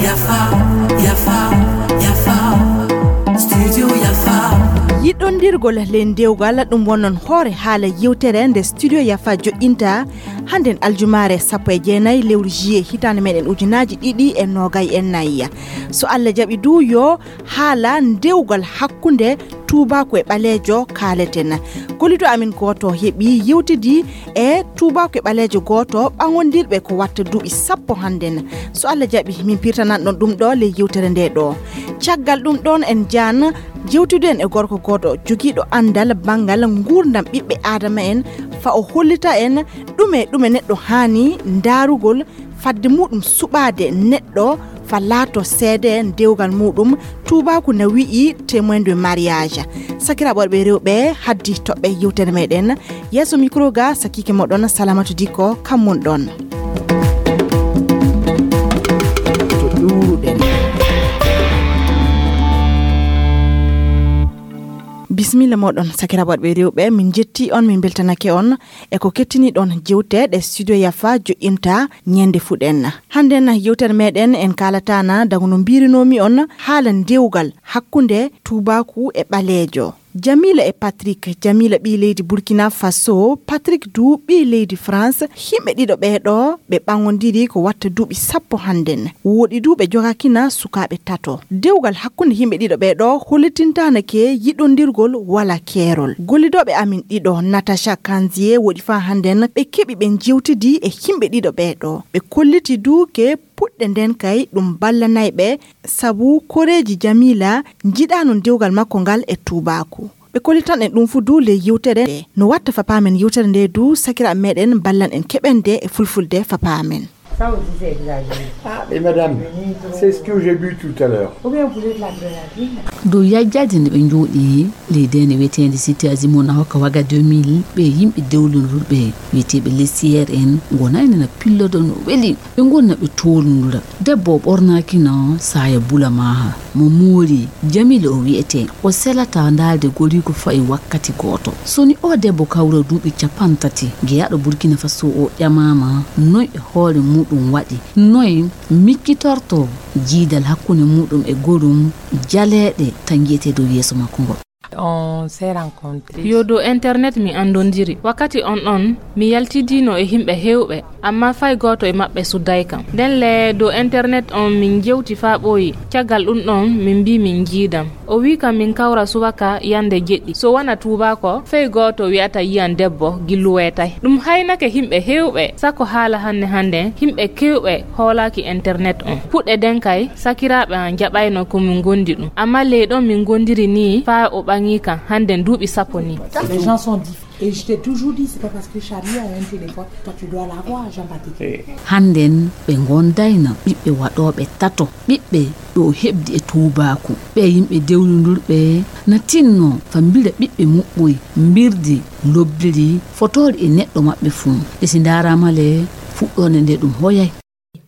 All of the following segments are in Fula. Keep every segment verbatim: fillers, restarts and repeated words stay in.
Yafa, yafa, yafa. Studio Yafa. Yiɗondirgol ley dewgal, ɗum wonnon hoore haala yewtere nde Studio Yafa joɗɗinta hannden aljumaare sappo e jeenayi lewru juillet hitaande meɗen ujunaaji ɗiɗi e noogay e nayi. So Allah jaɓi du, yo haala dewgal hakkunde tuubaaku e ɓaleejo kaaleten. Gollido amin gooto heɓi yewtidi e tuubaaku e ɓaleejo gooto ɓaŋondirɓe ko watta duuɓi sappo hannden. So Allah jaɓi, min pirtanan ɗon ɗum ɗo ley yewtere nde ɗo. Caggal ɗum ɗon, en jaan jewtiden e gorko gooto jogiiɗo anndal banngal nguurndam ɓiɓɓe aadama en, fa o hollita en ɗume ɗume neɗɗo haani ndaarugol fadde muɗum suɓaade neɗɗo fa laato seede dewgal muɗum. Tuubaaku na wi'i témoin de mariage. Sakiraaɓe worɓe e rewɓe, haddi toɓɓe yewtere meɗen. Yeeso micro ga, sakiike moɗon Salamatu Dikko, kammun ɗon. To ɗuuruɗen. Bisimilla moɗon, sakiraaɓe worɓe e rewɓe, min jetti on, min beltanake on e ko kettiniɗon jewte ɗe Studio Yafa joɗɗinta ñande fuɗen. Hannden yewtere meɗen en kaalatana dago no mbirinoomi on haala dewgal hakkunde tuubaaku e ɓaleejo. Jamila e Patrick, Jamila ɓii leydi Burkina Faso, Patrick du ɓii leydi France, yimɓe ɗiɗo ɓee ɗo ɓe ɓaŋondiri ko watta duuɓi sappo hannden. Woɗi du ɓe jogakina sukaaɓe tato. Dewgal hakkunde yimɓe ɗiɗo ɓee ɗo hollitintaanake yiɗondirgol wala keerol. Gollidooɓe amin ɗiɗo, Natacha Kanzie, woɗi faa hannden ɓe keɓi ɓe jewtidi e yimɓe ɗiɗo ɓee ɗo. Ɓe kolliti du ke puɗɗe nden kay ɗum ballanay ɓe, sabu koreeji Jamila njiɗaano dewgal makko ngal e tuubaaku. Ɓe kollitan en ɗum fu du ley yewtere nde. No watta fa paamen yewtere nde du, sakiraaɓe meɗen ballan en keɓen nde e fulfulde fa paamen. Ça aussi, c'est exagéré. Ah, mais madame, c'est ce que j'ai bu tout à l'heure. Ou bien vous voulez de l'adrénaline ? Dow yajjaaji nde ɓe njooɗi ley deene wiyeteende Cité Azimut na hokka waga deux mille, ɓe yimɓe dewlundurɓe wiyeteeɓe lesiyeer en ngonayno na pillodo no weli. Ɓe ngonna ɓe toolundura. Debbo o ɓornaakino saaya bula maaha. Mo moori, Jamila o wiyetee. O selataa ndaalde goriiko fayi wakkati gooto. So ni oo debbo kawra duuɓi cappanɗe tati, jeyaaɗo Burkina Faso o ƴamaama noy e hoore muuɗum waɗi, noy miccitortoo jiidal hakkunde muuɗum e gorum jaleeɗe tan jiyetee dow yeeso makko ngol. On s'est rencontré. Yo dow internet mi anndondiri. Wakkati on ɗon, mi yaltidiino e yimɓe heewɓe, ammaa fay gooto e maɓɓe suddaay kam. Nden le dow internet on min jewti faa ɓooyi. Caggal ɗum ɗon, min mbii min njiidam. O wii kam min kawra subaka yande jeɗɗi. So wona tuubaako, fay gooto wi'ata yiyan debbo gillu weetay. Ɗum haynake yimɓe heewɓe, sako haala hannde hannde, yimɓe keewɓe hoolaaki internet on. Puɗɗe den kay, sakiraaɓe an jaɓayno ko min gondi ɗum. Amma ley ɗon min gondiri ni faa o ɓaŋi kam hannden duuɓi sappo ni. Les gens sont différents. Et je t'ai toujours dit, c'est pas parce que Charlie a un téléphone, toi tu dois l'avoir, Jean-Patrick. Hannden ɓe ngondayno ɓiɓɓe waɗooɓe tato, ɓiɓɓe ɗo heɓdi e tuubaaku. Ɓe yimɓe dewlundurɓe na tinno fa mbira ɓiɓɓe muɓɓoy, mbirdi lobbiri fotoori e neɗɗo maɓɓe fuu. Ɓe si ndaaraama le, fuɗɗoonde nde ɗum hoyay.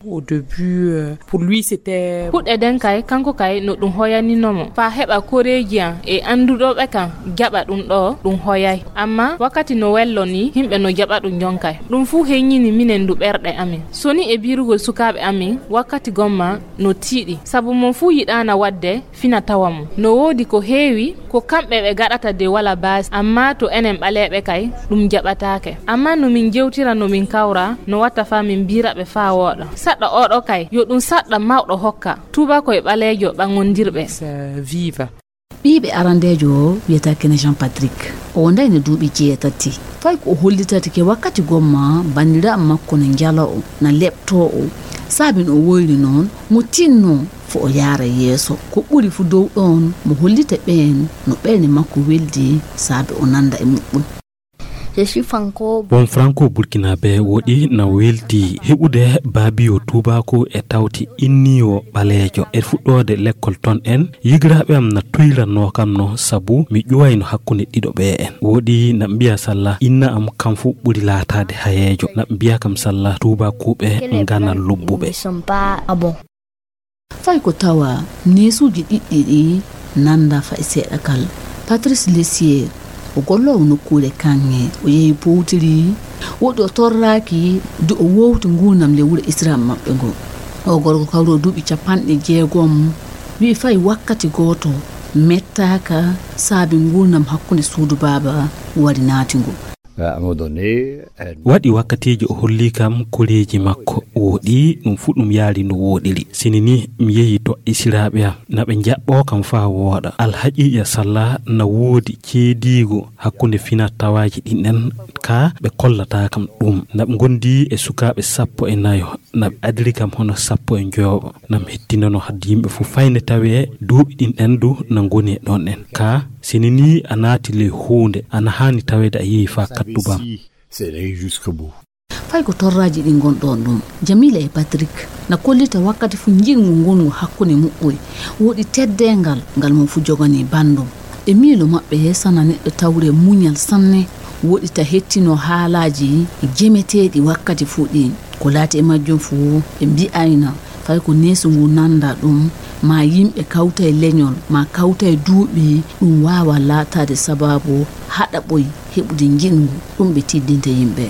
Au début, euh, pour lui, c'était... Puɗɗe den kay, kanko kay, no ɗum hoyaninoo mo. Faa heɓa koreeji an e annduɗooɓe kan jaɓa ɗum ɗo, ɗum hoyay. Amma wakkati no wello ni, yimɓe no jaɓa ɗum jonkay. Ɗum fuu heññini minen ndu ɓerɗe amin. So ni e birugol sukaaɓe amin, wakkati gomma no tiiɗi. Sabu mon fuu yiɗaana waɗde fina tawa mum. No woodi ko heewi ko kamɓe ɓe gaɗata de wala baasi, amma to enen ɓaleeɓe kay, ɗum jaɓataake. Amma no min jewtira, no min kawra, no watta faa min mbira ɓe faa wooɗa. Saɗɗa oɗo kay, yo ɗum saɗɗa mawɗo hokka. Tuuba koye ɓaleejo ɓaŋondirɓe. Viva. Ɓiiɓe arandeejo o wiyata kene Jean Patrick. O wondayno duuɓi jeetati. Fay ko o hollitata ke wakkati gomma banndiraaɓe makko na njala o, na leɓtoo o. Saabi no o woyri noon, mo tinnoo fo o yaara yeeso. Ko ɓuri fu dow ɗoon, mo hollita ɓeen no ɓernde makko weldi, saabe o nannda e muɓɓun. Je suis franco. Won franco burkinabé woɗi na weldi heɓude baabiyo tuubaako e tawti inniyo ɓaleejo. E fuɗɗoode lekkol toon en, yigiraaɓe am na tuyranno kam no sabu mi ƴuwayno hakkunde ɗiɗo ɓe en. Woɗi na mbiya salla inna am kam fu ɓuri laataade hayeejo. Na mbiya kam salla tuubakuuɓe ngana lobbuɓe. Ils ne sont pas bons. Fay ko tawa neesuuji ɗiɗɗi ɗi nannda fay seeɗa kal. Patrice Lessier, O golloowo nokkuure kaŋŋe, o yehi powtiri, woɗɗi o torraaki, du o wowti nguurndam ley wuro Isra maɓɓe ngo. O gorko kawruɗo duuɓi capanɗe jeegom, wi'i fay wakkati gooto mettaaka saabi nguurndam hakkunde suudu baaba wari naati ngu. À un moment donné, waɗi wakkatiiji o holli kam koreeji makko wooɗi, ɗum fuu ɗum yaari no wooɗiri. Sini ni mi yehi to esiraaɓe am, na ɓe njaɓɓoo kam faa wooɗa. Alhaqiiqa salla na woodi ceediigo hakkunde finaa-tawaaji ɗin ɗen, kaa ɓe kollataa kam ɗum. Na ɓe ngondi e sukaaɓe sappo e nayo, na ɓe adiri kam hono sappo e njoyo. Na mi hettinano hadde yimɓe fuu fayde tawee duuɓi ɗin ɗen du na ngoni e ɗon ɗen. Kaa sini ni a naati ley huunde, ana haani taweede a yehi faa kattubam. Fay ko torraaji ɗin ngonɗon ɗum, Jamila e Patrik na kollita wakkati fuu njiɗngu ngongu hakkunde muɓɓoy. Woɗi teddeengal ngal mo fuu joganii banndum. E miilo maɓɓe, sana neɗɗo tawre muñal sanne, woɗi ta hettinoo haalaaji jemeteeɗi wakkati fuu ɗin. Ko laati e majjum fuu, ɓe mbi'ayna fay ko neesu ngu nannda ɗum, maa yimɓe kawta e leñol, maa kawta e duuɓi, ɗum waawa laataade sabaabu haɗaɓoy heɓude njiɗngu ɗum ɓe tiddinta yimɓe.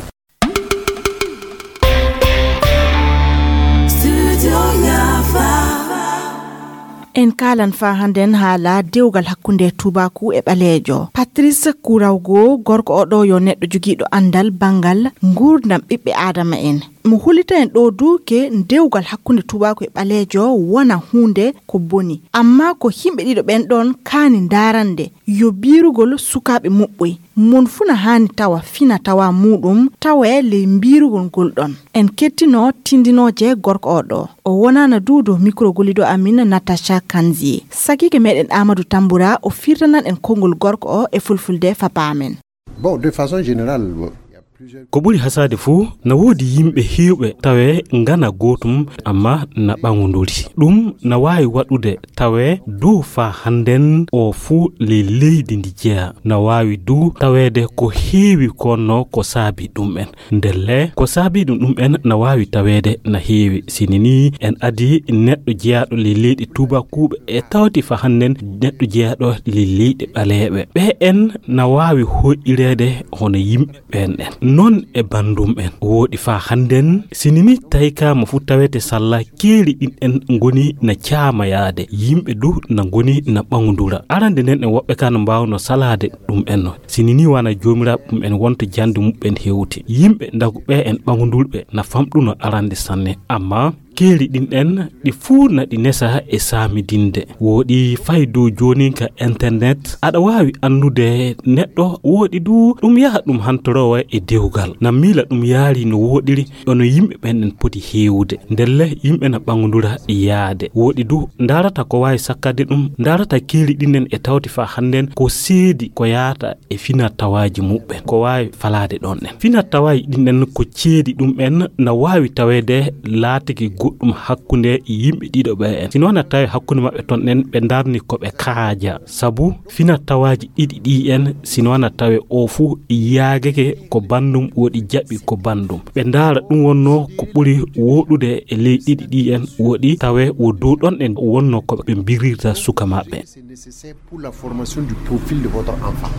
En kaalan faa hannden haala dewgal hakkunde tuubaaku e ɓaleejo. Patrice Kurawgo, gorko oo ɗoo yo neɗɗo jogiiɗo anndal banngal nguurndam ɓiɓɓe aadama en. Mo hollita en ɗoo du ke dewgal hakkunde tuubaaku e ɓaleejo wona huunde ko boni. Ammaa ko yimɓe ɗiɗo ɓen ɗon kaani ndaarande yo biirugol sukaaɓe muɓɓoy. Mon fuu na haani tawa finaa-tawaa muuɗum tawe ley mbiirugol ngol ɗon. En kettinoo tindinooje gorko oo ɗoo. O wonaana du dow mikro golliiɗo amin Natacha Kanzi. Sakiike meɗen Amadou Tambura o firtanan en konngol gorko oo e fulfulde fa paamen. Bon, de façon générale, bon, il y a plusieurs Ko ɓuri hasaade fuu, na woodi yimɓe heewɓe tawee ngana gootum, ammaa na ɓaŋunduri. Ɗum na waawi waɗude tawee dow faa hannden oo fuu ley leydi ndi jeyaa. Na waawi du taweede ko heewi ko wonnoo ko saabii ɗum'en. Ndelle, ko saabii ɗum ɗum'en na waawi taweede na heewi. Sini nii, en adii neɗɗo jeyaaɗo ley leyɗe tuubakuuɓe e tawti faa hannden neɗɗo jeyaaɗo ley leyɗe ɓaleeɓe. Ɓe'en na waawi hoyɗireede hono yimɓe ɓeen ɗen. Non e banndum'en. Wooɗi faa hannden, sini nii taykaama fuu tawete salla keeri ɗin ɗen ngoni na caamayaade. Yimɓe du na ngoni na ɓaŋundura. Arande nden en woɓɓe ka no mbaawno salaade ɗum'en no. Sini nii wana joomiraaɓe ɗum'en wonto jannde muɓɓen hewti. Yimɓe ndagu ɓe'en ɓaŋundurɓe na famɗuno arande sanne. Ammaa keeri ɗin ɗen ɗi fuu na ɗi nesa e saamidinde. Wooɗi fay dow jooninka internet, aɗa waawi anndude neɗɗo, wooɗi du ɗum yaha ɗum hantoroowa e dewgal. Na miila ɗum yaari no wooɗiri, ono yimɓe ɓen ɗen poti heewude. Ndelle yimɓe na ɓaŋundura yaade. Wooɗi du ndaarata ko waawi sakkade ɗum, ndaarata keeri ɗin ɗen e tawti faa hannden ko seedi ko yaata e finaa-tawaaji muɓɓen, ko waawi falaade ɗon ɗen. Finaa-tawaaji ɗin ɗen ko ceedi ɗum'en na waawi taweede laatiki goɗɗum hakkunde yimɓe ɗiɗo ɓe'en. Sino na tawe hakkunde maɓɓe ton ɗen ɓe ndarni ko ɓe kaaja. Sabu finaa-tawaaji ɗiɗi ɗi'en, sino na tawe oo fuu yaagake ko banndum wooɗi jaɓi ko banndum. Ɓe ndaara ɗum wonnoo ko ɓuri wooɗude e ley ɗiɗi ɗi'en wooɗi tawe wo dow ɗon ɗen wonnoo ko ɓe mbirirta suka maɓɓe. C'est nécessaire pour la formation du profil de votre enfant.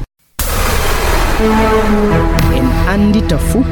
En anndita fuu.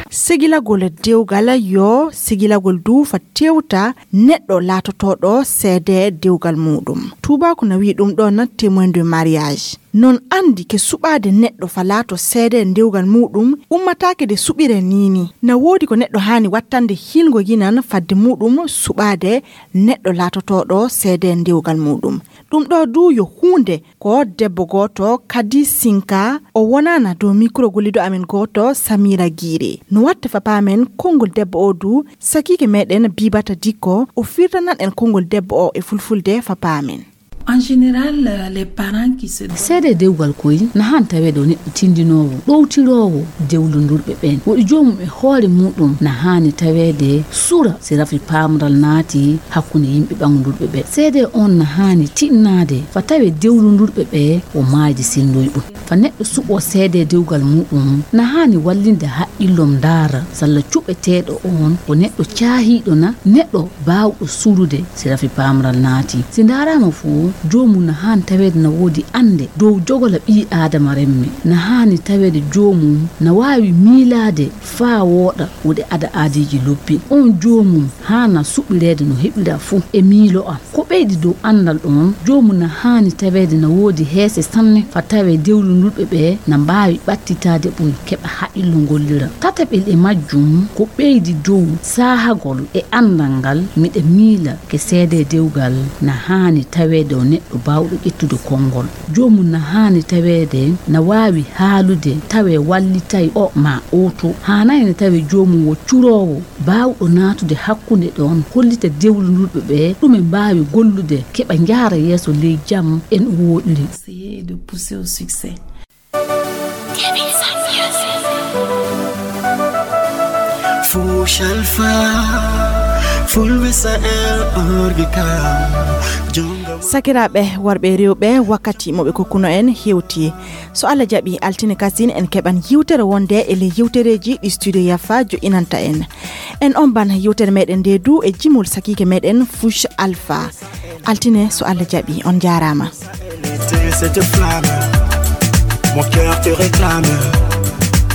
Segilagol dewgal yo segilagol du fa tewta neɗɗo laatotooɗo seede dewgal muuɗum. Tuubaaku na wi'i ɗum ɗon témoin de mariage. Non anndi ke suɓaade neɗɗo fa laato seede dewgal muuɗum ummataake de suɓire niini. Na woodi ko neɗɗo haani wattande hiilgo yinan fadde muuɗum suɓaade neɗɗo laatotooɗo seede dewgal muuɗum. Ɗum ɗoo du yo huunde ko debbo gooto, Kadi Sinka, o wonaana dow mikro golliiɗo amen gooto, Samira Giire. No watta fa paamen konngol debbo oo du, sakiike meɗen Bibata Dikko, o firtanan en konngol debbo oo e fulfulde fa paamen. En général, euh, les parents qui se... Seede dewgal koy na haani taweede o neɗɗo tindinoowo, ɗowtiroowo dewlundurɓe ɓeen. Woɗi joomum e hoore muuɗum na haani taweede sura si rafi paamral naati hakkunde yimɓe ɓaŋundurɓe ɓe. Seede on na haani tiɗnaade fa tawe dewlundurɓe ɓe o maayde silndoy ɗum. Fa neɗɗo suɓoo seede dewgal muuɗum, na haani wallinde haqqillom ndaara salla cuɓeteeɗo on ko neɗɗo caahiiɗo na neɗɗo baawɗo surude si rafi paamral naati. Si ndaaraama fuu, Joomum na haani taweede na woodi annde dow jogola ɓii Aadama remme. Na haani taweede joomum na waawi miilaade faa wooɗa wuɗe ada aadiiji lobbi. Oon joomum haana suɓireede no heɓira fuu e miilo am. Ko ɓeydi dow anndal ɗoon, joomum na haani taweede na woodi heese sanne faa tawee dewlundulɓe ɓe na mbaawi ɓattitaade ɓoy keɓa haqqillo ngollira. Tataɓel e majjum ko ɓeydi dow saahagol e anndal ngal miɗa miila ke seedee dewgal na haani taweede o neɗɗo baawɗo ƴettude konngol. Joomum na haani taweede na waawi haalude tawee wallitay o maa o to. Haanaay na tawee joomum wo curoowo baawɗo naatude hakkunde ɗoon, hollita dewlundulɓe ɓe ɗume mbaawi gollude keɓa njaara yeeso ley jam en o wooɗiri. Essayer de pousser au succès. Fush Alpha, Full Misael Orgika, Jonga. Sakiraaɓe worɓe e rewɓe, wakkati mo ɓe kokkuno en hewti. So Allah jaɓi, altine kasin en keɓan yiwtere wonde e ley yiwtereeji ɗi Studio Yafa joƴƴinanta en. En omban yiwtere meɗen nde du e jimol sakiike meɗen Fush Alpha. Altine so Allah jaɓi, on jaaraama. Cette flamme, mon cœur te réclame.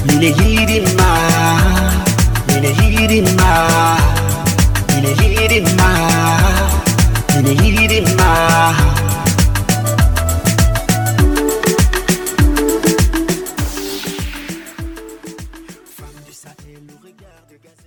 Mine yiɗi ma, mine yiɗi ma, mine yiɗi ma, mine yiɗi ma.